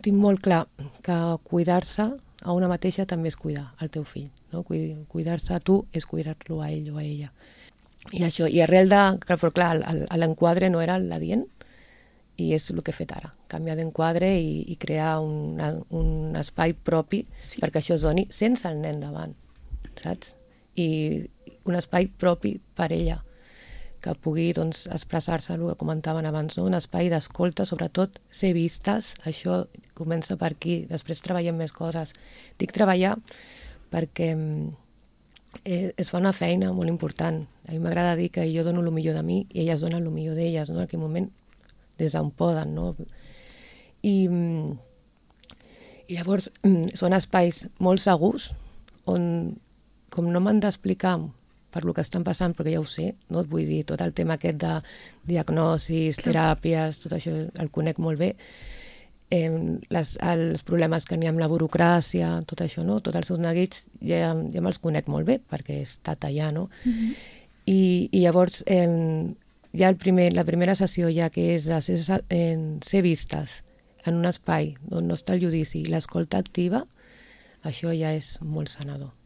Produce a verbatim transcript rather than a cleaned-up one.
Tinc molt clar que cuidar-se a una mateixa també és cuidar el teu fill. No? Cuidar-se a tu és cuidar-lo a ell o a ella. I això, i arrel de... Però clar, l'enquadre no era l'adient, i és el que he fet ara, canviar d'enquadre i, i crear un, un espai propi sí. perquè això es doni sense el nen davant, saps? I un espai propi per ella, que pugui doncs, expressar-se, el que comentaven abans, no? Un espai d'escolta, sobretot ser vistes, això comença per aquí, després treballem més coses. Dic treballar perquè eh, es fa una feina molt important. A mi m'agrada dir que jo dono el millor de mi i elles donen el millor d'elles, no? En aquell moment des d'on poden, no? I, i llavors són espais molt segurs on, com no m'han d'explicar per lo que estan passant, perquè ja ho sé, no? Et vull dir, tot el tema aquest de diagnosis, teràpies, tot això el conec molt bé, eh, les, els problemes que n'hi ha amb la burocràcia, tot això, no? Tots els seus neguits ja, ja me'ls conec molt bé, perquè he estat allà, no? Mm-hmm. I, i llavors... Eh, ja el primer, la primera sessió ja que és ser, en, ser vistes en un espai on no està el judici i l'escolta activa, això ja és molt sanador.